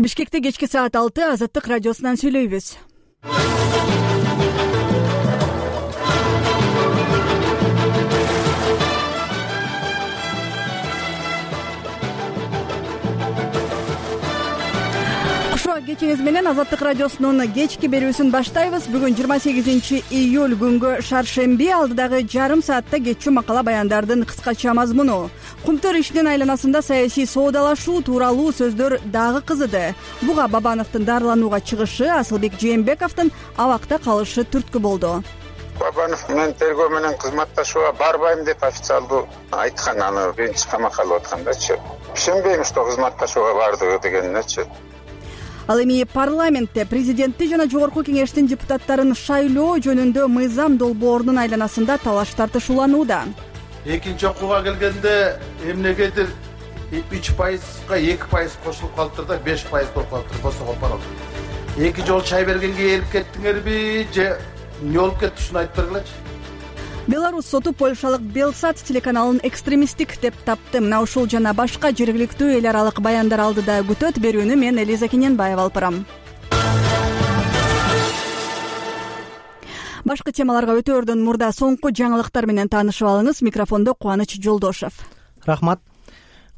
Бишкекте кечки саат 6 Азаттык радиосунан сүйлөйбүз. Кечиңиз менен Азаттык радиосунун кечки берүүсүн баштайбыз. Бүгүн 28 июль күнгө шаршемби, алдыдагы жарым саатта кечүү макала баяндардын кыскача мазмуну. Кумтөр ишинин айланасында саясий соодалашуу тууралуу сөздөр дагы кызыды. Буга Бабановдун дарыланууга чыгышы, Асылбек Жээнбековдун абакта калышы түрткү болду. Бабанов мен тергөө менен кызматташууга барбайм деп официалдуу айткан, аны биринчи камакка алып аткандачы. Ишенбейм, что кызматташууга бардыгы дегенинечи. Ал эми парламентте президентти жана жогорку кеңештин депутаттарын шайлоо жөнүндө мыйзам долбоорунун айланасында талаш тартышууланууда. Экинчи окууга келгенде эмнегедир 3%, 2% кошулуп калыптыр да, 5% болуп калыптыр, босо копарып. Эки жол чай бергенге эрип кеттиңерби же эмне болуп кетти, ушуну айтып бергилечи. Беларусь соту польшалык Белсат телеканалын экстремисттик деп тапты. Мына ушул жана башка жергиликтүү эл аралык баяндар алдыда күтөт. Берүүнү мен Элиза Кененбаева алып барам. Башка темаларга өтөөрдөн мурда соңку жаңылыктар менен таанышып алыңыз. Микрофондо Кубаныч Жолдошев. Рахмат.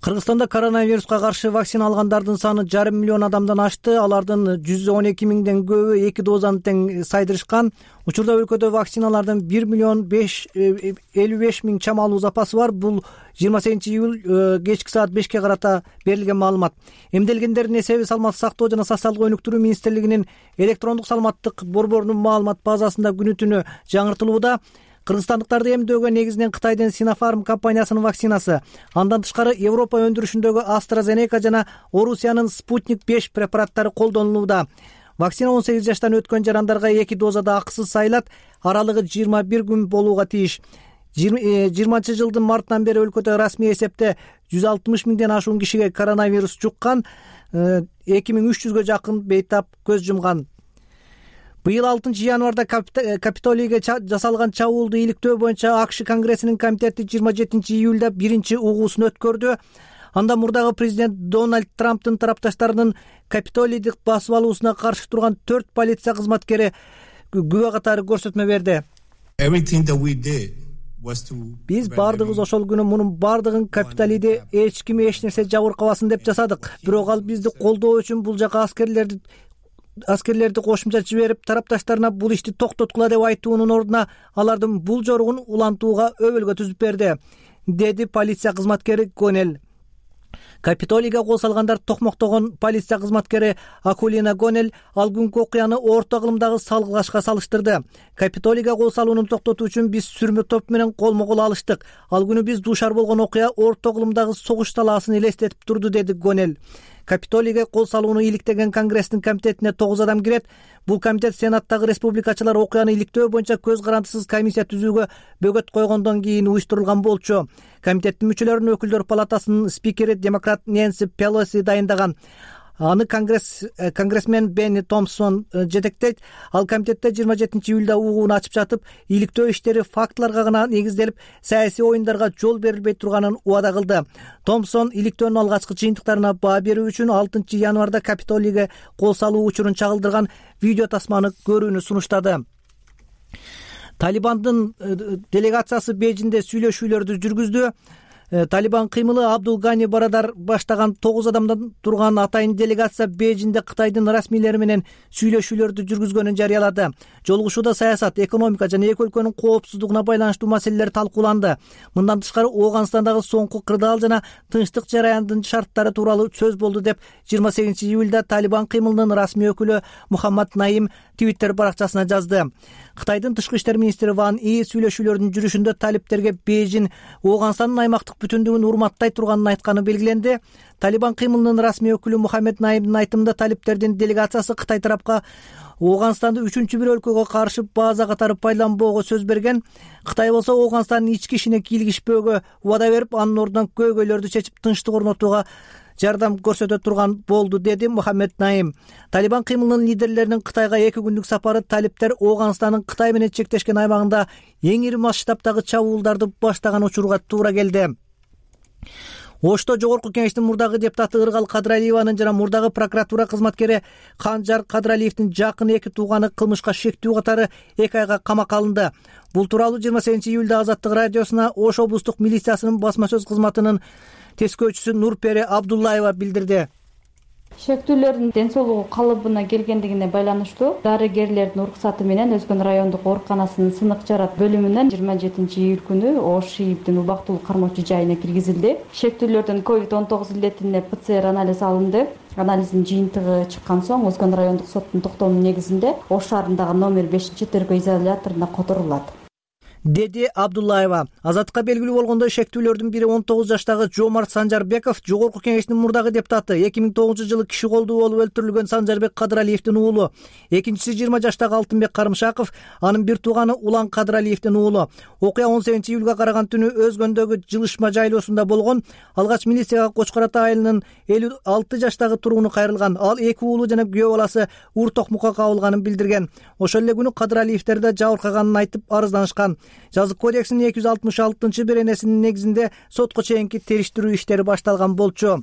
Кыргызстанда коронавируска каршы вакцина алгандардын саны 500 000 адамдан ашты. Алардын 112 000ден көбү 2 дозаны тең сайдырышкан. Учурда өлкөдө вакциналардын 1,55 миллион чамалуу запасы бар. Бул 28 июль кечки саат 5ке карата берилген маалымат. Эмделгендердин эсеби саламаттык сактоо жана социалдык өнүктүрүү министрлигинин электрондук саламаттык борборунун маалымат базасында күнү-түнү жаңыртылууда. Кыргызстандыктарды эмдөөгө негизинен Кытайдын Sinopharm компаниясынын вакцинасы, андан тышкары Европа өндүрүшүндөгү AstraZeneca жана Орусиянын Sputnik 5 препараттары колдонулууда. Вакцина 18 жаштан өткөн жарандарга 2 дозада акысыз сайылат, аралыгы 21 күн болууга тийиш. 20-жылдын мартынан бери өлкөдө расмий эсепте 160 000ден ашуун кишиге коронавирус жуккан, 2300гө жакын бейтап көз жумган. Быйыл 6 январда Капитолийге жасалган чабуулду иликтөө боюнча АКШ Конгрессинин комитети 27 июлда биринчи угуусун өткөрдү. Анда мурдагы президент Дональд Трамптын тарапташтарынын Капитолийди басып алуусуна каршы турган 4 полиция кызматкери күбө катары көрсөтмө берди. Биз бардыгыбыз ошол күнү мунун бардыгын Капитолийди эч ким эч нерсе жабыркабасын деп жасадык. Бирок ал бизди колдоо үчүн бул жака аскерлерди кошумча жиберип, тарапташтарына бул ишти токтоткула деп айтуунун ордуна алардын бул жоругун улантууга өбөлгө түзүп берди, деди полиция кызматкери Гонел. Капитолийге кол салгандар токмоктогон полиция кызматкери Акулина Гонел ал күнкү окуяны орто кылымдагы салгылашка салыштырды. Капитолийге кол салууну токтотуу үчүн биз сүрмө топ менен колмо-кол алыштык. Ал күнү биз дуушар болгон окуя орто кылымдагы согуш талаасын элестетип турду, деди Гонел. Капитолийге кол салууну иликтеген Конгресстин комитетине 9 адам кирет. Бул комитет Сенаттагы республикачылар окуяны иликтөө боюнча көз карандысыз комиссия түзүүгө бөгөт койгондон кийин уюштурулган болчу. Комитеттин мүчөлөрүн өкүлдөр палатасынын спикери демократ Нэнси Пелоси дайындаган. Аны конгрессмен Бенни Томпсон жетектейт. Ал комитетте 27 июлда угууну ачып жатып, иликтөө иштери фактыларга гана негизделип, саясий оюндарга жол берилбей турганын убада кылды. Томпсон иликтөөнүн алгачкы жыйынтыктарына баа берүү үчүн 6 январда Капитолийге кол салуу учурун чагылдырган видео тасманы көрүүнү сунуштады. Талибандын делегациясы Бейжиңде сүйлөшүүлөрдү жүргүздү. Талибан кыймылы Абдул Гани Барадар баштаган 9 адамдан турган атайын делегация Бейжиңде Кытайдын расмийлери менен сүйлөшүүлөрдү жүргүзгөнүн жарыялады. Жолугушууда саясат, экономика жана эки өлкөнүн коопсуздугуна байланыштуу маселелер талкууланды. Мындан тышкары Ооганстандагы соңку кырдаал жана тынчтык жараяндын шарттары тууралуу сөз болду деп 28 июлда Талибан кыймылынын расмий өкүлү Мухаммад Наим Твиттер баракчасына жазды. Кытайдын тышкы иштер министри Ван И сүйлөшүүлөрдүн жүрүшүндө талиптерге Бейжиң Ооганстандын аймактык бүтүндүгүн урматтай турганын айтканы белгиленди. Талибан кыймылынын расмий өкүлү Мухаммед Наимдин айтымында талиптердин делегациясы Кытай тарапка Ооганстанды үчүнчү бир өлкөгө каршы база катары пайдаланбоого сөз берген. Кытай болсо Ооганстандын ички ишине кийлигишпөөгө убада берип, анын ордуна көйгөйлөрдү чечип тынчтык орнотууга жардам көрсөтө турган болду, деди Мухаммед Наим. Талибан кыймылынын лидерлеринин Кытайга 2 күндүк сапары талиптер Ооганстандын Кытай менен чектешкен аймагында эң ири масштабтагы чабуулдарды баштаган учурга туура келди. Ошто Жогорку Кеңештин мурдагы депутаты Ыргал Кадыралиеванын жана мурдагы прокуратура кызматкери Канжар Кадыралиевдин жакын 2 тууганы кылмышка шектүү катары 2 айга камакка алынды. Бул тууралуу 28-июлда Азаттык радиосуна Ош облустук милициясынын басма сөз кызматынын тескөөчүсү Нурпери Абдуллаева билдирди. Шектүүлөрдүн ден соолугу калыбына келгендигине байланыштуу дарыгерлердин уруксаты менен Өзгөн райондук ооруканасынын сынык жарат бөлүмүнөн 27-июль күнү Ош ИИБдин убактылуу кармоочу жайына киргизилди. Шектүүлөрдүн COVID-19 илетине ПЦР анализ алынды. Анализдин жыйынтыгы чыккан соң Өзгөн райондук соттун токтомунун негизинде Ош шаарындагы номер 5-тергөө изоляторуна которулат, деди Абдуллаева. Азаттыкка белгилүү болгондой, шектүүлөрдүн бири 19 жаштагы Жомарт Санжарбеков, Жогорку Кеңештин мурдагы депутаты, 2009-жылы киши колдуу болуп өлтүрүлгөн Санжарбек Кадыралиевдин уулу. Экинчиси 20 жаштагы Алтынбек Карымшаков, анын бир тууганы Улан Кадыралиевдин уулу. Окуя 18-июлга караган түнү Өзгөндөгү жылышма жайлоосунда болгон. Алгач милицияга Кочкор Ата айылынын 56 жаштагы тургуну кайрылган. Ал 2 уулу жана күйөө баласы Ур Токмукка кабылганын билдирген. Ошол эле күнү Кадыралиевдер да жабыркаганын айтып арызданышкан. Жазык кодексинин 266-беренесинин негизинде сотко чейинки териштирүү иштери башталган болчу.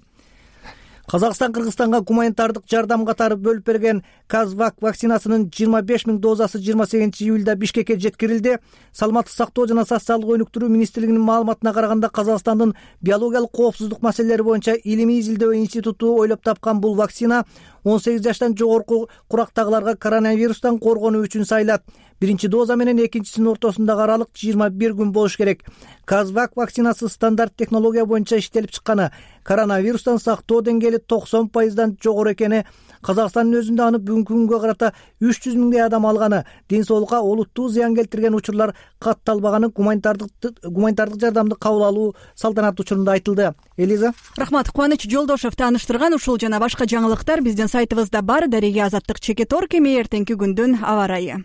Казакстан Кыргызстанга гуманитардык жардам катары бөлүп берген Казвак вакцинасынын 25 000 дозасы 28-июлда Бишкекке жеткирилди. Саламаттык сактоо жана социалдык өнүктүрүү министрлигинин маалыматына караганда, Казакстандын биологиялык коопсуздук маселелери боюнча илимий изилдөө институту ойлоп тапкан бул вакцина 18 жаштан жогорку курактагыларга коронавирустан коргонуу үчүн сайлат. Биринчи доза менен экинчисинин ортосундагы аралык 21 күн болуш керек. Казвак вакцинасы стандарт технология боюнча иштелип чыкканы, коронавирустан сактоо деңгээли 90% жогору экени, Казакстандын өзүндө аны бүгүнкү күнгө карата 300 000 адам алганы, ден соолукка олуттуу зыян келтирген учурлар катталбаганы гуманитардык жардамды кабыл алуу салтанат учурунда айтылды. Элиза. Рахмат. Кубаныч Жолдошев тааныштырган ушул жана башка жаңылыктар биздин сайтыбызда бар. Дареге Азаттык Чекетор кеме эртеңки күндүн аба ырайы.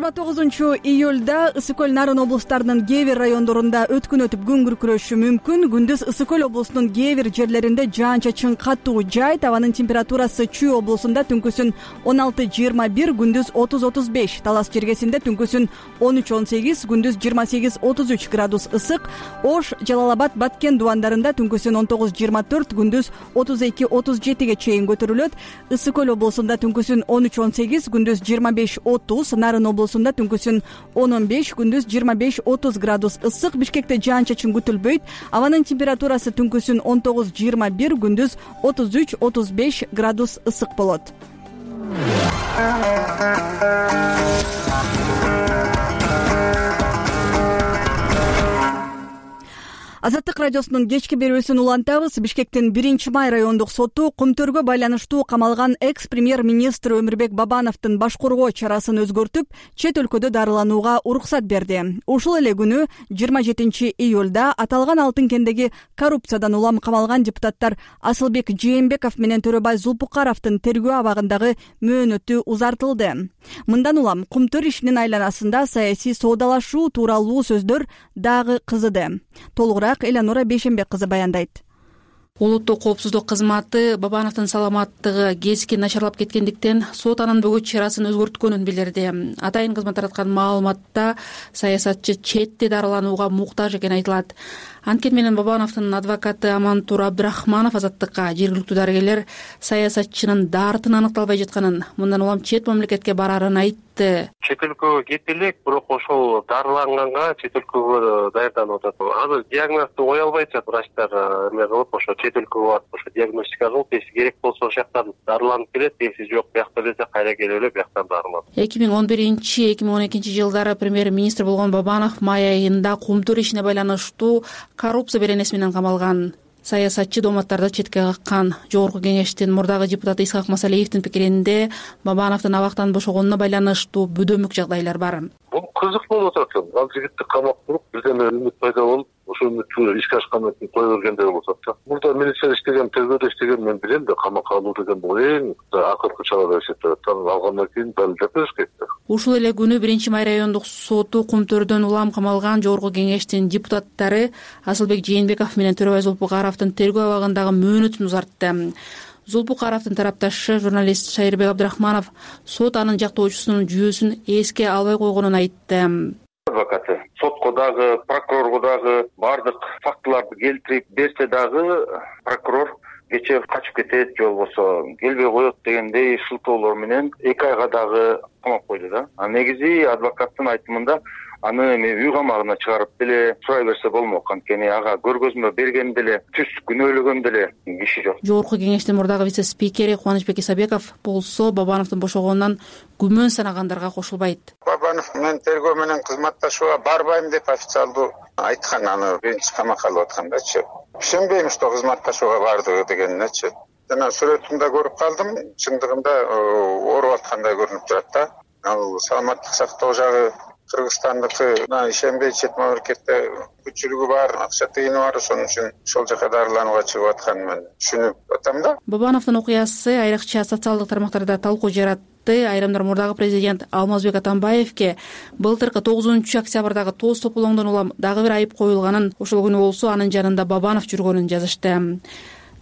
29-июлда Ысык Көл Нарын облустарынын кээ бир райондорунда өткүн өтүп күн күркүрөшү мүмкүн. Күндүз Ысык Көл облусунун кээ бир жерлеринде жаан-чачын катуу жайт. Абанын температурасы Чүй облусунда түнкүсүн 16-21, күндүз 30-35. Талас жергесинде түнкүсүн 13-18, күндүз 28-33 градус ысык. Ош, Жалал Абад, Баткен дубандарында түнкүсүн 19-24, күндүз 32-37 чейин көтөрүлөт. Ысык Көл облусунда түнкүсүн 13-18, күндүз 25-30. Нарын облусунда түнкүсүн 10-15, күндүз 25-30 градус ысык. Бишкекте жаан-чачын күтүлбөйт. Абанын температурасы түнкүсүн 19-21, күндүз 33-35 градус ысык болот. Азаттык радиосунун кечки берүүсүн улантабыз. Бишкектин 1-май райондук соту Кумтөргө байланыштуу камалган экс-премьер-министр Өмүрбек Бабановдун баш коргоо чарасын өзгөртүп, чет өлкөдө дарыланууга уруксат берди. Ушул эле күнү 27-июлда аталган Алтын кендеги коррупциядан улам камалган депутаттар Асылбек Жээнбеков менен Төрөбай Зулпукаровдун тергөө абагындагы мөөнөтү узартылды. Мындан улам Кумтөр ишинин айланасында саясий соодалашуу тууралуу сөздөр дагы кызыды. Толугураак Эланора Бейшенбек кызы баяндайт. Улуттук коопсуздук кызматы Бабановдун саламаттыгы keskin начарлап кеткендиктен сот анын бүгүн чарасын өзгөрткөнүн билдирди. Атайын кызмат тараткан маалыматта саясатчы четте дарыланууга муктаж экени айтылат. Анткени менен Бабановдун адвокаты Амантур Абдрахманов Азаттыкка жергиликтүү дарыгерлер саясатчынын дартын аныкталбай жатканын, мындан улам чет мамлекетке барарын айтты. Чет өлкөгө кете элек, бирок ошол дарыланганга чет өлкөгө даярданып атат. Азыр диагнозду кое албайт жатат врачтар, эме кылып ошо чет өлкөгө барып ошо диагностика кылып, эси керек болсо ошол жактан дарыланып келет, эси жок биякта десе кайра келип эле бияктан дарыланат. 2011-2012 жылдары премьер-министр болгон Бабанов май айында Кумтөр ишине байланыштуу коррупция беренеси менен камалган. Саясатчы дооматтарды четке каккан. Жогорку кеңештин мурдагы депутаты Исхак Масалиевдин пикиринде Бабановдун абактан бошогонуна байланыштуу бөдөмүк жагдайлар бар. Бул кызык болуп атат. Ал жигитти камап туруп, бирден үмүт пайда болуп, ошол үмүттү ишке ашкандан кийин кое бергендей болуп атат. Мурда милиция иштеген, тергөөдө иштеген мен билем да, камакка алуу деген бул эң акыркы чара деп эсептелет. Алгандан кийин далилдеп бериш керек да. Ушул эле күнү 1-май райондук соту Кумтөрдөн улам камалган жогорку кеңештин депутаттары Асылбек Жээнбеков менен Төрөбай Зулпукаровдун тергөө абагындагы мөөнөтүн узартты. Зулпукаровдун тарапташы журналист Шайырбек Абдрахманов сот анын жактоочусунун жүйөсүн эске албай койгонун айтты. Адвокаты сотко дагы, прокурорго дагы бардык фактыларды келтирип берсе дагы прокурор кечээ качып кетет же болбосо келбей коет дегендей шылтоолор менен 2 айга дагы камап койду да. Негизи адвокаттын айтымында аны үй камагына чыгарып деле сурай берсе болмок, анткени ага көргөзмө берген деле, түз күнөөлөгөн деле киши жок. Жогорку кеңештин мурдагы вице-спикери Кубанычбек Исабеков болсо Бабановдун бошогонунан күмөн санагандарга кошулбайт. Бабанов мен тергөө менен кызматташууга барбайм деп официалдуу айткан, аны биринчи камакка алып аткандачы. Ишенбейм, что кызматташууга бардыгы дегенинечи. Жана сүрөтүндө көрүп калдым, чындыгында ооруп аткандай көрүнүп турат да. Ал саламаттык сактоо жагы Кыргызстандыкы ишенбей чет мамлекетте күчүлүгү бар, акча тыйыны бар, ошон үчүн ошол жака дарыланууга чыгып атканын мен түшүнүп атам да. Бабановдун окуясы айрыкча социалдык тармактарда талкуу жаратты. Айрымдар мурдагы президент Алмазбек Атамбаевке былтыркы 9-октябрдагы тоз топулоңдон улам дагы бир айып коюлганын, ошол күнү болсо анын жанында Бабанов жүргөнүн жазышты.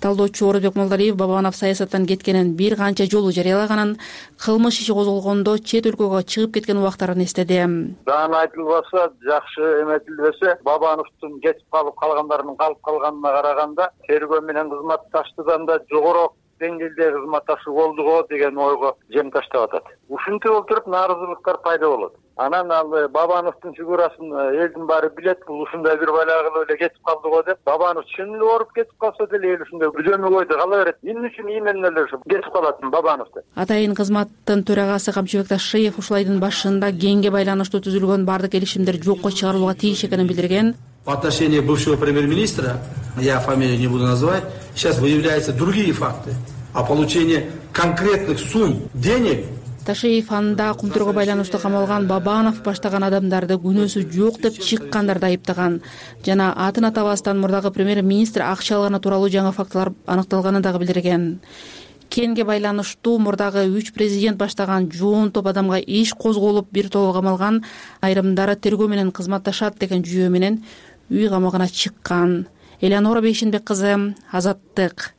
Талдоочу Орозбек Молдалиев Бабанов саясаттан кеткенин бир канча жолу жарыялаганын, кылмыш иши козголгондо чет өлкөгө чыгып кеткен убактарын эстеди. Даана айтылбаса, жакшы эметилбесе, Бабановдун кетип калгандарынын калып калганына караганда, тергөө менен кызматташтыдан да жогорок деңгээлде кызматташуу болдуго деген ойго жем таштап атат. Ушинтип отуруп нааразылыктар пайда болот. Анан ал Бабановдун фигурасын элдин баары билет, бул ушундай бир байлагы эле кетип калдыго деп. Бабанов чын эле ооруп кетип калса деле эл ушундай күзөмө койду кала берет. Эмне үчүн менен эле кетип калат Бабанов деп. Атайын кызматтын төрагасы Камчыбек Ташиев ушул айдын башында кеңге байланыштуу түзүлгөн бардык келишимдер жокко чыгарылууга тийиш экенин билдирген. В отношении бывшего премьер-министра, я фамилию не буду называть, сейчас выявляются другие факты о получении конкретных сумм денег. Ташиев анда кумтурга байланыштуу камалган Бабанов баштаган адамдарды күнөөсү жок деп чыккандарды айыптаган жана атын атабастан мурдагы премьер-министр акча алганы тууралуу жаңы фактылар аныкталганын дагы билдирген. Кенге байланыштуу мурдагы 3 президент баштаган жоон топ адамга иш козголуп бир тобу камалган, айрымдары тергөө менен кызматташат деген жүйө менен үй камагына чыккан. Элеонора Бейшенбек кызы, Азаттык.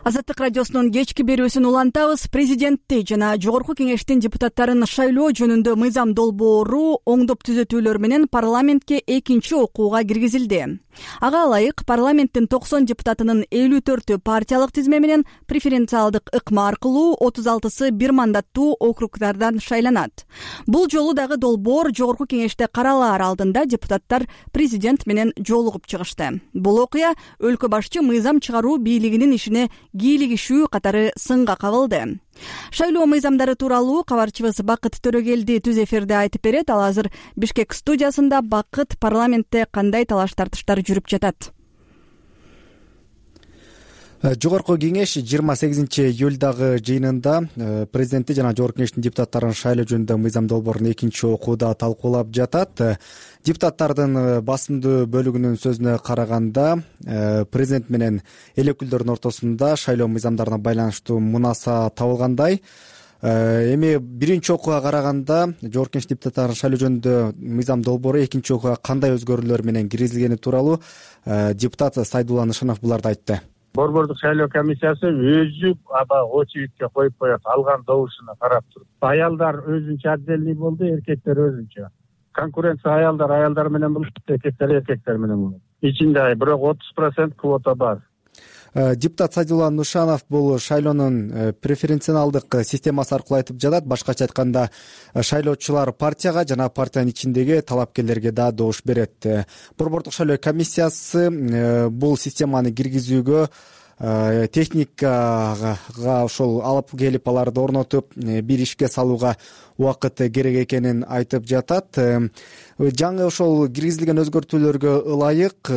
Азаттык радиосунун кечки берүүсүн улантабыз. Президентти жана жогорку кеңештин депутаттарын шайлоо жөнүндө мыйзам долбоору оңдоп түзөтүүлөр менен парламентке экинчи окууга киргизилди. Ага ылайык парламенттин 90 депутатынын 54-ü партиялык тизме менен преференциалдык ыкма аркылуу 36-сы бир мандаттуу округдардан шайланат. Бул жолу дагы долбоор жогорку кеңеште каралаар алдында депутаттар президент менен жолугуп чыгышты. Бул окуя өлкө башчы мыйзам чыгаруу бийлигинин ишине кийлигишүү катары сынга кабылды. Шайлоо мыйзамдары тууралуу кабарчыбыз Бакыт Төрөгелди түз эфирде айтып берет. Ал азыр Бишкек студиясында. Бакыт, парламентте кандай талаш тартыштар жүрүп жатат? Жогорку кеңеш 28-июлдагы жыйынында президентти жана жогорку кеңештин депутаттарын шайлоо жөнүндө мыйзам долбоорун экинчи окууда талкуулап жатат. Депутаттардын басымдуу бөлүгүнүн сөзүнө караганда, президент менен эл өкүлдөрүнүн ортосунда шайлоо мыйзамдарына байланыштуу мунаса табылгандай. Эми биринчи окууга караганда жогорку кеңеш депутаттарын шайлоо жөнүндө мыйзам долбоору экинчи окууга кандай өзгөрүүлөр менен киргизилгени тууралуу депутат Сайдулла Нышанов буларды айтты. Борбордук шайлоо комиссиясы өзү очередке коюп коет, алган добушуна карап туруп. Аялдар өзүнчө отдельный болду, эркектер өзүнчө. Конкуренция аялдар менен болот, эркектер менен болот. Ичинде бирок 30% квота бар. Депутат Сайдулла Нышанов бул шайлоонун преференциалдык системасы аркылуу айтып жатат. Башкача айтканда, шайлоочулар партияга жана партиянын ичиндеги талапкерлерге да добуш берет. Борбордук шайлоо комиссиясы бул системаны киргизүүгө техникага ошол алып келип аларды орнотуп бир ишке салууга убакыт керек экенин айтып жатат. Жаңы ошол киргизилген өзгөртүүлөргө ылайык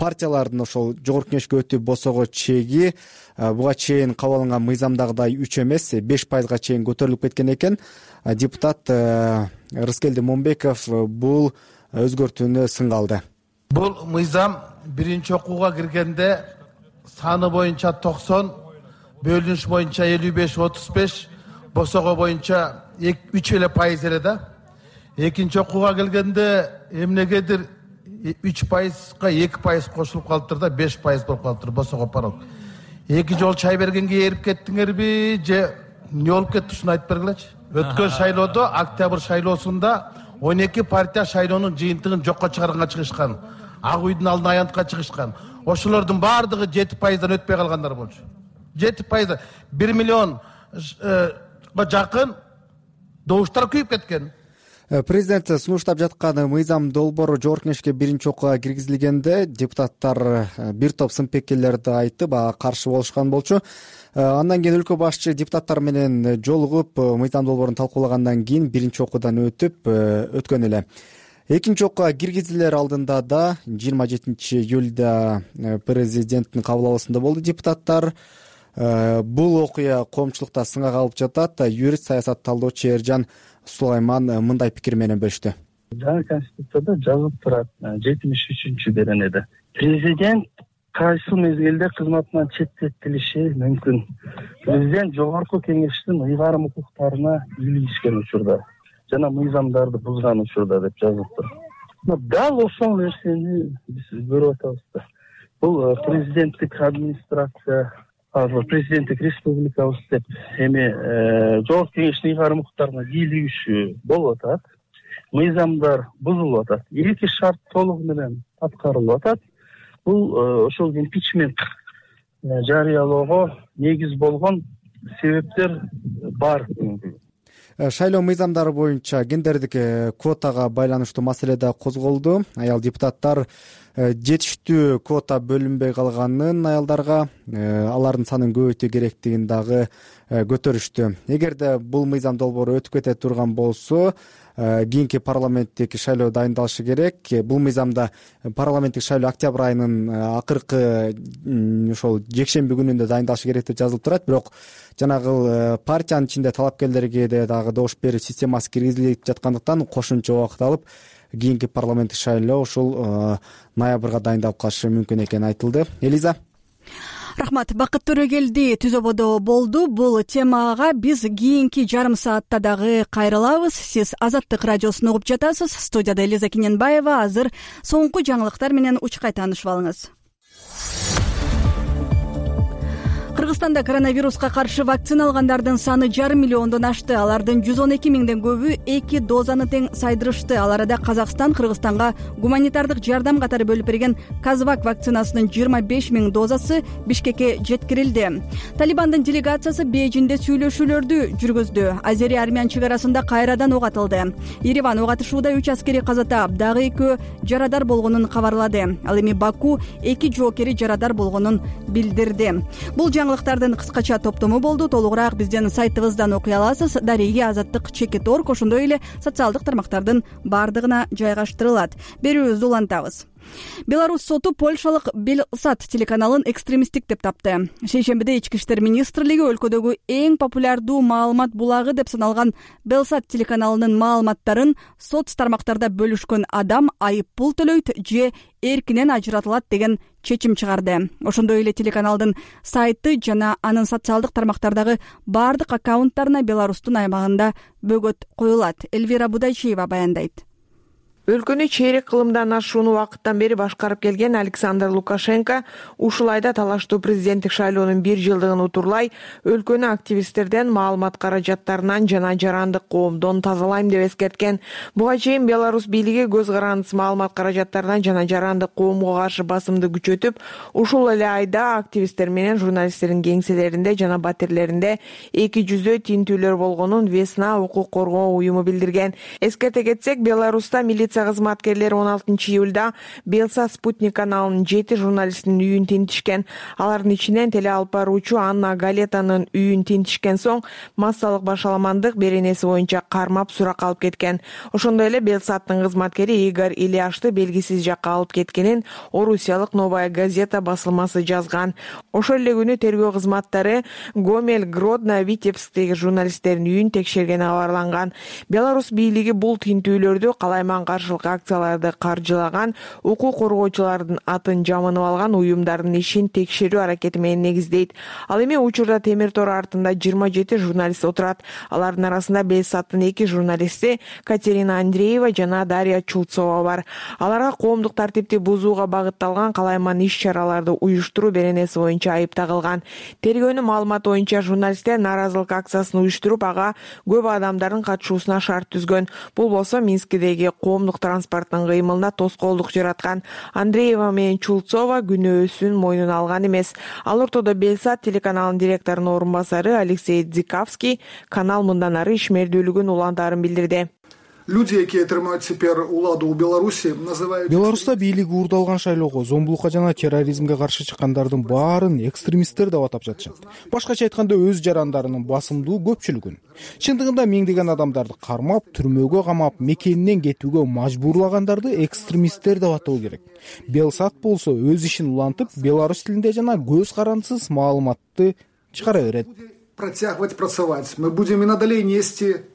партиялардын ошол жогорку кеңешке өтүү босого чеги буга чейин кабыл алынган мыйзамдагыдай 3 эмес 5%га чейин көтөрүлүп кеткен экен. Депутат Рыскелди Момбеков бул өзгөртүүнү сынга алды. Бул мыйзам биринчи окууга киргенде саны боюнча 90, бөлүнүш боюнча 55-35, босого боюнча 3% эле да. экинчи окууга келгенде эмнегедир 3%га 2% кошулуп калыптыр да 5% болуп калыптыр босого парол. Эки жол чай бергенге эрип кеттиңерби же эмне болуп кетти ушуну айтып бергилечи. Өткөн шайлоодо октябрь шайлоосунда 12 партия шайлоонун жыйынтыгын жокко чыгарганга чыгышкан. Ак үйдүн алдына аянтка чыгышкан. Ошолордун баардыгы 7%дан өтпөй калгандар болчу. 7%, 1 миллионга жакын добуштар күйүп кеткен. Президент сунуштап жаткан мыйзам долбоору жогорку кеңешке биринчи окууга киргизилгенде депутаттар бир топ сын-пикирлерди айтып, каршы болушкан болчу. Андан кийин өлкө башчы депутаттар менен жолугуп, мыйзам долбоорун талкуулагандан кийин биринчи окуудан өткөн эле. Экинчи окууга киргизилер алдында да 27 июлда президенттин кабыл алуусунда болду депутаттар. Бул окуя коомчулукта сынга калып жатат. Юрист, саясат талдоочу Эржан Сулайман мындай пикир менен бөлүштү. Жаңы конституцияда жазылып турат 73-беренеде. Президент кайсы мезгилде кызматынан четтетилиши мүмкүн. Президент жогорку кеңештин ыйгарым укуктарына илишкен учурда жана мыйзамдарды бузган учурда деп жазылыптыр. Дал ошол нерсени биз көрүп атабыз да. Бул президенттик администрация, президенттик республикабыз деп жогорку кеңештин ыйгарым укуктарына кийлигишүү болуп атат. Мыйзамдар бузулуп атат. Эки шарт толугу менен аткарылып атат. Бул ошол импичмент жарыялоого негиз болгон себептер бар. Шайлоо мыйзамдары боюнча гендердик квотага байланыштуу маселе да козголду. Аял депутаттар жетиштүү квота бөлүнбөй калганын, аялдарга алардын санын көбөйтүү керектигин дагы көтөрүштү. Эгерде бул мыйзам долбоору өтүп кете турган болсо, кийинки парламенттик шайлоо дайындалышы керек. Бул мыйзамда парламенттик шайлоо октябрь айынын акыркы ошол жекшемби күнүндө дайындалышы керек деп жазылып турат. Бирок жанагы партиянын ичинде талапкерлерге дагы добуш берүү системасы киргизилип жаткандыктан кошумча убакыт алып, кийинки парламенттик шайлоо ушул ноябрга дайындалып калышы мүмкүн экени айтылды. Элиза. Рахмат. Бакыт Төрөгелди түзөбодо болду. Бул темага биз кийинки жарым саатта дагы кайрылабыз. Сиз Азаттык радиосун угуп жатасыз. Студияда Элиза Кененбаева. Азыр соңку жаңылыктар менен учкай таанышып алыңыз. Кыргызстанда коронавируска каршы вакцина алгандардын саны 1,5 миллиондон ашты. Алардын 112 миңден көбү 2 дозаны тең сайдырышты. Ал арада Казакстан Кыргызстанга гуманитардык жардам катары бөлүп берген Казвак вакцинасынын 25 миң дозасы Бишкекке жеткирилди. Талибандын делегациясы Бейжиңде сүйлөшүүлөрдү жүргүздү. Азери-армян чыгарасында кайрадан ок атылды. Ереван ок атышууда 3 аскери каза таап, дагы 2 жарадар болгонун кабарлады. Ал эми Баку 2 жоокери жарадар болгонун билдирди. Бул жаңылыктардын кыскача топтому болду. Толугураак биздин сайтыбыздан окуй аласыз. Дареги Азаттык _org, ошондой эле социалдык тармактардын баардыгына жайгаштырылат. Берүүбүздү улантабыз. Беларусь соту польшалык Белсат телеканалын экстремисттик деп тапты. Шейшембиде Ички иштер министрлиги өлкөдөгү эң популярдуу маалымат булагы деп саналган Белсат телеканалынын маалыматтарын соц тармактарда бөлүшкөн адам айыппул төлөйт же эркинен ажыратылат деген чечим чыгарды. Ошондой эле телеканалдын сайты жана анын социалдык тармактардагы баардык аккаунттарына Беларустун аймагында бөгөт коюлат. Элвира Будайчиева баяндайт. Өлкөнү чейрек кылымдан ашуун убакыттан бери башкарып келген Александр Лукашенко ушул айда талаштуу президенттик шайлоонун 1 жылдыгын утурлай өлкөнү активисттерден маалымат каражаттарынан жана жарандык коомдон тазалайм деп эскерткен. Буга чейин Беларусь бийлиги көз карандысыз маалымат каражаттарынан жана жарандык коомго каршы басымды күчөтүп, ушул эле айда активисттер менен журналисттердин кеңселеринде жана батирлеринде 200 тинтүүлөр болгонун Весна укук коргоо уюму билдирген. Эскерте кетсек, Беларуста милиция кызматкерлери 16 июлда Белсат Спутник каналынын 7 журналистинин үйүн тинтишкен. Алардын ичинен теле алып баруучу Анна Галетанын үйүн тинтишкен соң массалык башаламандык беренеси боюнча кармап суракка алып кеткен. Ошондой эле Белсаттын кызматкери Игорь Ильяшты белгисиз жакка алып кеткенин Орусиялык Новая газета басылмасы жазган. Ошол эле күнү тергөө кызматтары Гомель, Гродно, Витебсктеги журналисттердин үйүн текшергени кабарланган. Беларусь бийлиги бул тинтүүлөрдү калайман каршы каршылык акцияларды каржылаган, укук коргоочулардын атын жамынып алган уюмдардын ишин текшерүү аракети менен негиздейт. Ал эми учурда темир тор артында 27 журналист отурат. Алардын арасында Белсаттын 2 журналисти Катерина Андреева жана Дарья Чулцова бар. Аларга коомдук тартипти бузууга багытталган калайман иш-чараларды уюштуруу беренеси боюнча айып тагылган. Тергөөнүн маалыматы боюнча журналисттер нааразылык акциясын уюштуруп, ага көп адамдардын катышуусуна шарт түзгөн. Бул болсо Минскидеги коомдук транспорттун кыймылына тоскоолдук жараткан. Андреева менен Чулцова күнөөсүн мойнуна алган эмес. Ал ортодо Белсат телеканалынын директорунун орун басары Алексей Дзиковский канал мындан ары ишмердүүлүгүн улантаарын билдирди. Люди, які тримають тепер уладу у Беларусі, називають... Беларуста бийлиги урдалган шайлоого, зомбулукка жана терроризмге каршы чыккандардын баарын экстремисттер деп атап жатышат. Башкача айтканда өз жарандарынын басымдуу көпчүлүгүн. Чындыгында миңдеген адамдарды кармап, түрмөгө камап, мекенинен кетүүгө мажбурлагандарды экстремисттер деп атоо керек. Белсат болсо өз ишин улантып, беларус тилинде жана көз карандысыз маалыматты чыгара берет. Протягивать, працевать. Мы будем и надалей нести...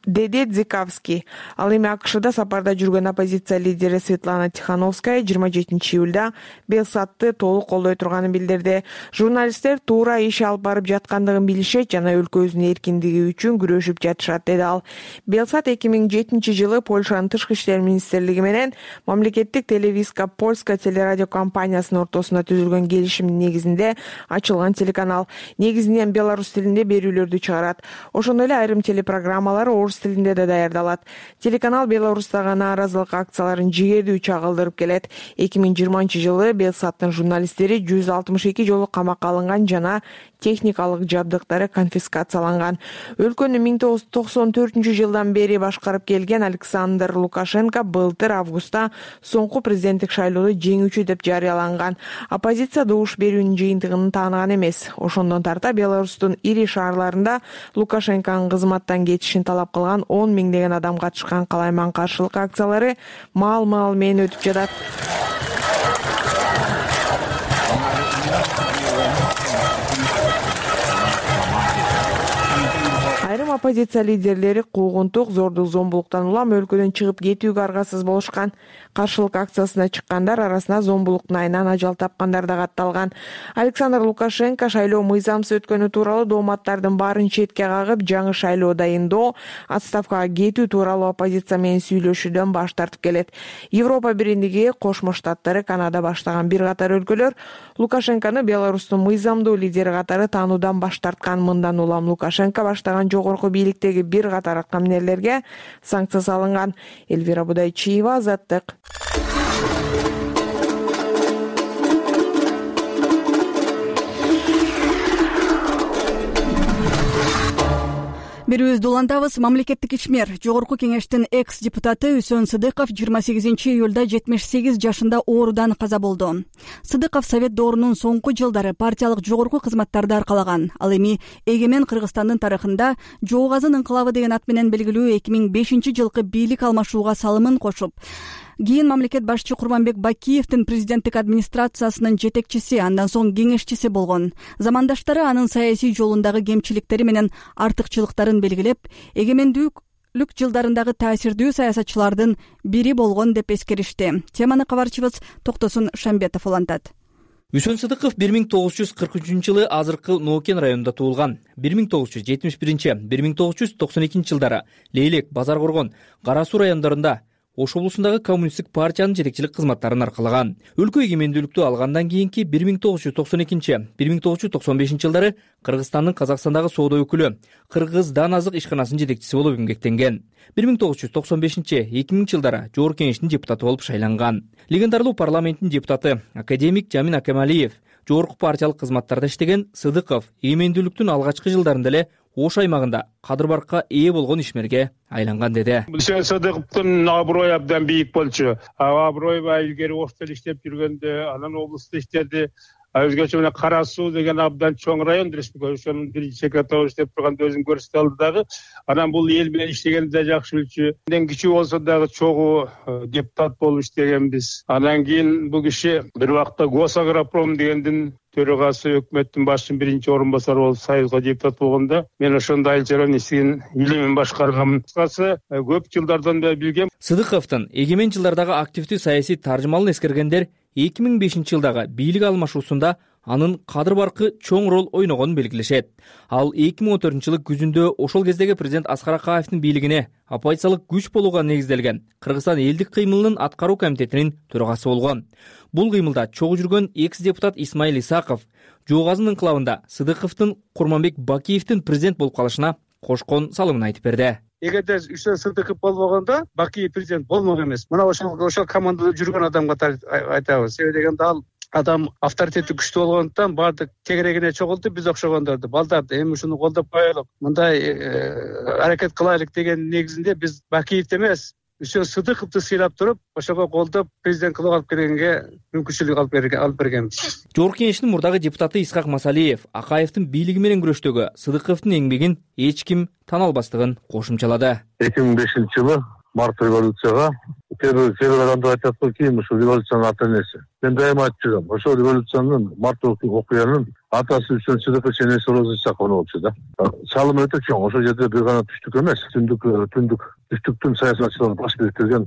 деди Дзиковский. Ал эми АКШда сапарда жүргөн оппозиция лидери Светлана Тихановская 27 июлда Белсатты толук колдой турганын билдирди. Журналисттер туура иш алып барып жаткандыгын билишет жана өлкөбүздүн эркиндиги үчүн күрөшүп жатышат, деди ал. Белсат 2007 жылы Польшанын тышкы иштер министрлиги менен мамлекеттик Телевизка Польска телерадио компаниясынын ортосунда түзүлгөн келишимдин негизинде ачылган телеканал. Негизинен беларус тилинде берүүлөрдү чыгарат. Ошондой эле айрым телепрограммалар орус тилинде да даярдалат. Телеканал Беларустагы нааразылык акцияларын жигердүү чагылдырып келет. 2020 жылы Белсаттын журналисттери 162 жолу камакка алынган жана техникалык жабдыктары конфискацияланган. Өлкөнү 1994 жылдан бери башкарып келген Александр Лукашенко былтыр августта соңку президенттик шайлоодо жеңүүчү деп жарыяланган. Оппозиция добуш берүүнүн жыйынтыгын тааныган эмес. Ошондон тарта Беларустун ири шаарларында Лукашенконун кызматтан кетишин талап кылган 10 миңдеген адам катышкан калайман каршылык акциялары маал-маал менен өтүп жатат. Айрым оппозиция лидерлери куугунтук, зордук, зомбулуктан улам өлкөдөн чыгып кетүүгө аргасыз болушкан. Каршылык акциясына чыккандар арасында зомбулуктун айынан ажал тапкандар да катталган. Александр Лукашенко шайлоо мыйзамсыз өткөнү тууралуу дооматтардын баарын четке кагып, жаңы шайлоо дайындоо, отставкага кетүү тууралуу оппозиция менен сүйлөшүүдөн баш тартып келет. Европа биримдиги, Кошмо Штаттары, Канада баштаган бир катар өлкөлөр Лукашенкону Беларустун мыйзамдуу лидери катары таануудан баш тарткан. Мындан улам Лукашенко баштаган жогорку бийликтеги бир катар камнерлерге санкция салынган. Эльвира Будайчиева, Азаттык. Берүүбүздү улантабыз. Мамлекеттик ишмер Жогорку кеңештин экс-депутаты Үсөн Сыдыков 28 июлда 78 жашында оорудан каза болду. Сыдыков Совет доорунун соңку жылдары партиялык жогорку кызматтарды аркалаган. Ал эми Эгемен Кыргызстандын тарыхында Жоо Казан инкылабы деген ат менен белгилүү 2005 жылкы бийлик алмашууга салымын кошуп, кийин мамлекет башчы Курманбек Бакиевдин президенттик администрациясынын жетекчиси, андан соң кеңешчиси болгон. Замандаштары анын саясий жолундагы кемчиликтери менен артыкчылыктарын белгилеп, эгемендүүлүк жылдарындагы таасирдүү саясатчылардын бири болгон деп эскеришти. Теманы кабарчыбыз Токтосун Шамбетов улантат. Үсөн Сыдыков 1943 жылы азыркы Ноокен районунда туулган. 1971-1992 жылдары Лейлек, Базар Коргон, Кара Суу райондорунда Ош облусундагы коммунисттик партиянын жетекчилик кызматтарын аркалаган. Өлкө эгемендүүлүктү алгандан кийинки 1992-1995 жылдары Кыргызстандын Казакстандагы соода өкүлү, Кыргыз Дан Азык ишканасынын жетекчиси болуп эмгектенген. 1995-2000 жылдары Жогорку кеңештин депутаты болуп шайланган. Легендарлуу парламенттин депутаты академик Жамин Акемалиев жогорку партиялык кызматтарда иштеген Сыдыков эгемендүүлүктүн алгачкы жылдарында эле Ош аймагында кадыр-баркка ээ болгон ишмерге айланган деди. Үсөн Сыдыковдун аброю абдан бийик болчу. Аброю илгери Ошто иштеп жүргөндө, анан облусту иштеди. өзгөчө мына Кара Суу деген абдан чоң район республика, ошонун биринчи секретары иштеп турганда өзүн көрсөтө алды дагы. Анан бул эл менен иштегенди да жакшы билчү. Менден кичүү болсо дагы чогуу депутат болуп иштегенбиз. Анан кийин бул киши бир убакта Госагропром дегендин төрагасы, өкмөттүн башчынын биринчи орун басары болуп Союзга депутат болгондо мен ошондо айыл-чарбанын ишин илимин башкаргам. Кыскасы көп жылдардан бери билгем. Сыдыковдун эгемен жылдардагы активдүү саясий таржымалын эскергендер 2005-жылдагы бийлик алмашуусунда анын кадыр баркы чоң роль ойногонун белгилешет. Ал 2014-жылы күзүндө ошол кездеги президент Аскар Акаевдин бийлигине оппозициялык күч болууга негизделген Кыргызстан элдик кыймылынын аткаруу комитетинин төрагасы болгон. Бул кыймылда чогуу жүргөн экс-депутат Исмаил Исаков Жогазынын инкылабында Сыдыковдун Курманбек Бакиевдин президент болуп калышына кошкон салымын айтып берди. Эгерде Үсөн Сыдыков болбогондо Бакиев президент болмок эмес. Мына ошол командада жүргөн адам катары айтабыз. Себеби дегенде ал адам авторитети күчтүү болгондуктан баардык тегерегине чогултуп биз окшогондорду балдарды эми ушуну колдоп коелук, мындай аракет кылайлык деген негизинде биз Бакиевди эмес, Үсөн Сыдыковду сыйлап туруп, ошого колдоп президент кылып алып келгенге мүмкүнчүлүк алып бергенбиз. Жогорку Кеңештин мурдагы депутаты Исхак Масалиев Акаевдин бийлиги менен күрөштөгү Сыдыковдун эмгегин эч ким тана албастыгын кошумчалады. 2005-жылы март революцияга кээ бир адамдар айтат кийин ушул революциянын ата энеси. Мен дайыма айтып жүрөм, ошол революциянын март окуянын атасы Үсөн Сыдыков энеси Роза Исакова болчу да. Салымы өтө чоң. Ошол жерде бир гана түштүк эмес, түштүктүн саясатчыларын баш бириктирген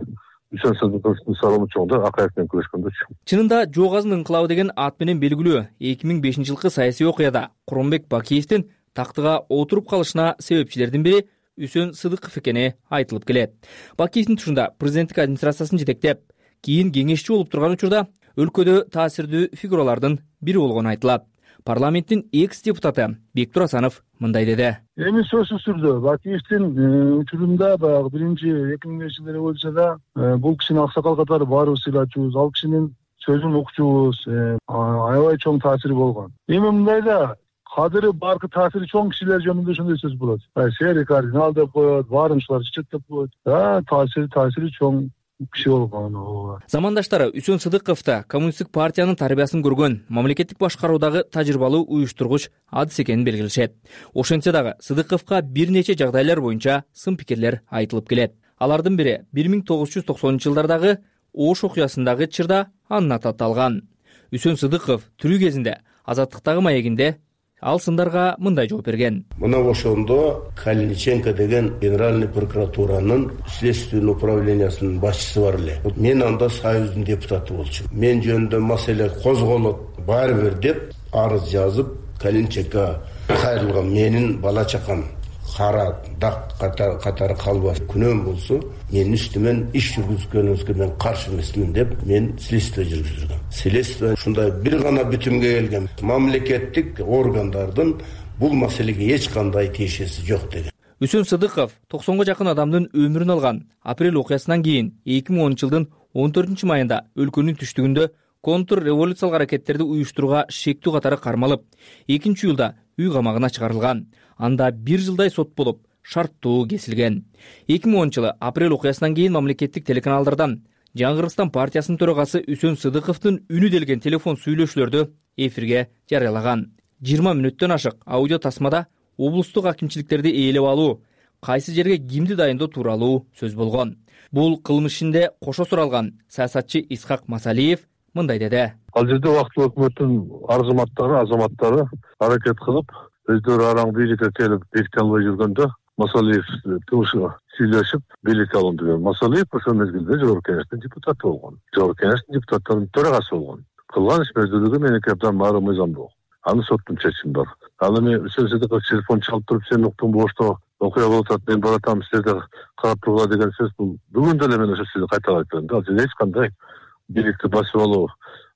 Үсөн Сыдыковдун салымы чоң да, Акаев менен күрөшкөндө. Чынында Жогазынын инкылабы деген ат менен белгилүү 2005-жылкы саясий окуяда Курманбек Бакиевдин тактыга отуруп калышына себепчилердин бири Үсөн Сыдыков экени айтылып келет. Бакиевдин тушунда президенттик администрациясын жетектеп, кийин кеңешчи болуп турган учурда өлкөдө таасирдүү фигуралардын бири болгону айтылат. Парламенттин экс-депутаты Бектур Асанов мындай деди. Эми сөзсүз түрдө Бакиевдин учурунда баягы биринчи 2005-жылы революцияда бул кишинин аксакал катары баарыбыз сыйлачубуз, ал кишинин сөзүн укчубуз, аябай чоң таасири болгон. Эми мындайда кадыры баркы таасири чоң кишилер жөнүндө ошондой сөз болот. Сери кардинал деп коет, баарынчылар чечет деп коет. Таасири чоң киши болгон. Замандаштары Үсөн Сыдыковду коммунисттик партиянын тарбиясын көргөн, мамлекеттик башкаруудагы тажрыйбалуу уюштургуч адыс экенин белгилешет. Ошентсе дагы Сыдыковго бир нече жагдайлар боюнча сын пикирлер айтылып келет. Алардын бири 1990-жылдардагы Ош окуясындагы чырда анын аты аталган. Үсөн Сыдыков тирүү кезинде Азаттыктагы маегинде ал сындарга мындай жооп берген. Мына ошондо Калиниченко деген генеральный прокуратуранын следственный управлениясынын башчысы бар эле. Мен анда Союздун депутаты болчумун. Мен жөнүндө маселе козголот баары бир деп арыз жазып, Калиниченко кайрылган. Менин бала чакам кара дак катары калбас. Күнөөм болсо, менин үстүмөн иш жүргүзгөнүңүзгө мен каршы эмесмин деп мен следствие жүргүздүргөм. Следствие ушундай бир гана бүтүмгө келген. Мамлекеттик органдардын бул маселеге эч кандай тиешеси жок деген. Үсөн Сыдыков 90га жакын адамдын өмүрүн алган апрель окуясынан кийин 2010-жылдын 14-майында өлкөнүн түштүгүндө контр революциялык аракеттерди уюштурууга шектүү катары кармалып, 2-июлда үй камагына чыгарылган. Анда 1 жылдай сот болуп, шарттуу кесилген. 2010-жылы апрель окуясынан кийин мамлекеттик телеканалдардан Жаңы Кыргызстан партиясынын төрагасы Үсөн Сыдыковдун үнү делген телефон сүйлөшүүлөрдү эфирге жарыялаган. 20 мүнөттөн ашык аудио тасмада облустук акимчиликтерди ээлеп алуу, кайсы жерге кимди дайындоо тууралуу сөз болгон. Бул кылмыш ишинде кошо суралган саясатчы Исхак Масалиев мындай деди. Ал жерде убактылуу өкмөттүн азаматтары аракет кылып, өздөрү араң бийликке келип беките албай жүргөндө Масалиев сүйлөшүп бийликке алган деген. Масалиев ошол мезгилде Жогорку Кеңештин депутаты болгон. Жогорку Кеңештин депутаттарынын төрагасы болгон. Кылган иш мезгилдеги меники абдан мыйзамдуу. Аны соттун чечими бар. Ал эми Үсөн Сыдыков телефон чалып туруп, сен уктуң бошто окуя болуп атат, мен баратам, силерде карап тургула деген сөз бул бүгүн деле мен ошо сөздү кайталап айтып бердим. Ал жерде эч кандай бийликти басып алуу,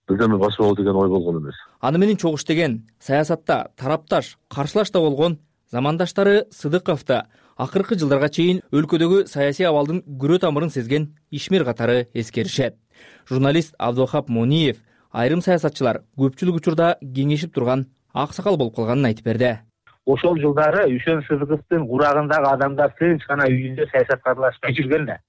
бирдеме басып алуу деген ой болгон эмес. Аны менен чогуш деген саясатта тарапташ, каршылаш да болгон замандаштары Сыдыковду акыркы жылдарга чейин өлкөдөгү саясий абалдын күрө тамырын сезген ишмер катары эскеришет. Журналист Абдухап Мониев айрым саясатчылар көпчүлүк учурда кеңешип турган аксакал болуп калганын айтып берди. Ошол жылдары Үсөн Сыдыковдун урагындагы адамдар тынч гана үйүндө саясатка аралашпай жүргөн да.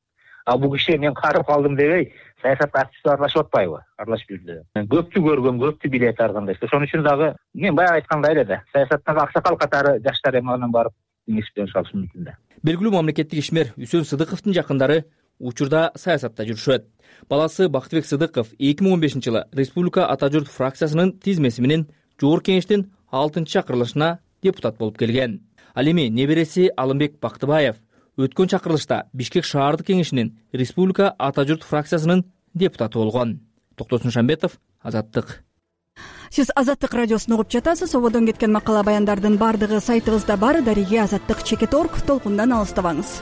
а бул киши мен карып калдым дебей саясатка активдүү аралашып атпайбы? Аралашып жүрдү. Көптү көргөн, көптү билет ар кандай. Ошон үчүн дагы мен баягы айткандай эле да, саясаттагы аксакал катары жаштар эми анан барып кеңеш берип алышы мүмкүн да. Белгилүү мамлекеттик ишмер Үсөн Сыдыковдун жакындары учурда саясатта жүрүшөт. Баласы Бактыбек Сыдыков 2015-жылы Республика Ата журт фракциясынын тизмеси менен Жогорку Кеңештин 6-чакырылышына депутат болуп келген. Ал эми небереси Алымбек Бактыбаев өткөн чакырылышта Бишкек шаардык кеңешинин Республика Ата журт фракциясынын депутаты болгон. Токтосун Шамбетов, Азаттык. Сиз Азаттык радиосун угуп жатасыз. Ободон кеткен макала баяндардын бардыгы сайтыбызда бар. Дареге Азаттык _org толкундан алыстабаңыз.